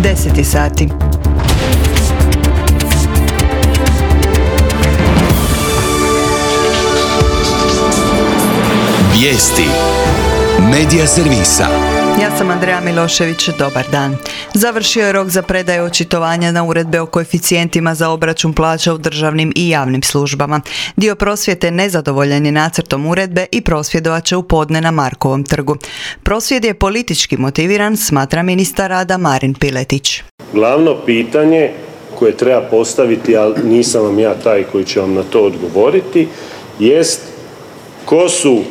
10 sati. Vijesti Medija servisa. Ja sam Andreja Milošević, dobar dan. Završio je rok za predaju očitovanja na uredbe o koeficijentima za obračun plaća u državnim i javnim službama. Dio prosvjete nezadovoljan je nacrtom uredbe i prosvjedovat će u podne na Markovom trgu. Prosvjed je politički motiviran, smatra ministar rada Marin Piletić. Glavno pitanje koje treba postaviti, ali nisam vam ja taj koji će vam na to odgovoriti, jest ko su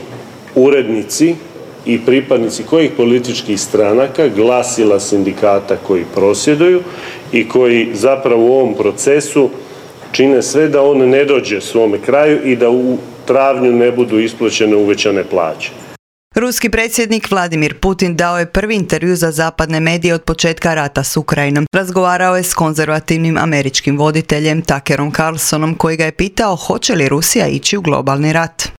urednici i pripadnici kojih političkih stranaka, glasila sindikata koji prosvjeduju i koji zapravo u ovom procesu čine sve da on ne dođe svome kraju i da u travnju ne budu isplaćene uvećane plaće. Ruski predsjednik Vladimir Putin dao je prvi intervju za zapadne medije od početka rata s Ukrajinom. Razgovarao je s konzervativnim američkim voditeljem Tuckerom Carlsonom koji ga je pitao hoće li Rusija ići u globalni rat.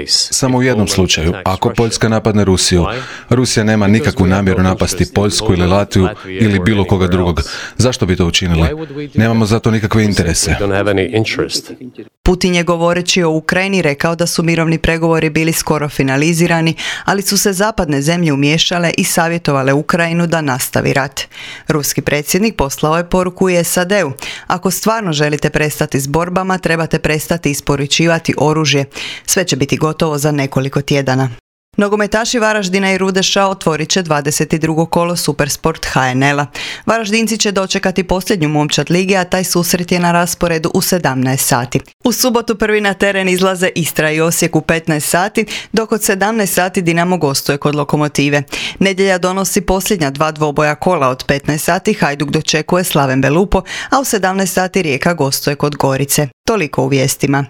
Samo u jednom slučaju, ako Poljska napadne Rusiju, Rusija nema nikakvu namjeru napasti Poljsku ili Latviju ili bilo koga drugog. Zašto bi to učinili? Nemamo za to nikakve interese. Putin je govoreći o Ukrajini rekao da su mirovni pregovori bili skoro finalizirani, ali su se zapadne zemlje umiješale i savjetovale Ukrajinu da nastavi rat. Ruski predsjednik poslao je poruku i SAD-u. Ako stvarno želite prestati s borbama, trebate prestati isporučivati oružje. Sve će biti gotovo za nekoliko tjedana. Nogometaši Varaždina i Rudeša otvorit će 22. kolo Supersport HNL-a. Varaždinci će dočekati posljednju momčad lige, a taj susret je na rasporedu u 17 sati. U subotu prvi na teren izlaze Istra i Osijek u 15 sati, dok od 17 sati Dinamo gostuje kod Lokomotive. Nedjelja donosi posljednja dva dvoboja kola od 15 sati, Hajduk dočekuje Slaven Belupo, a u 17 sati Rijeka gostuje kod Gorice. Toliko u vijestima.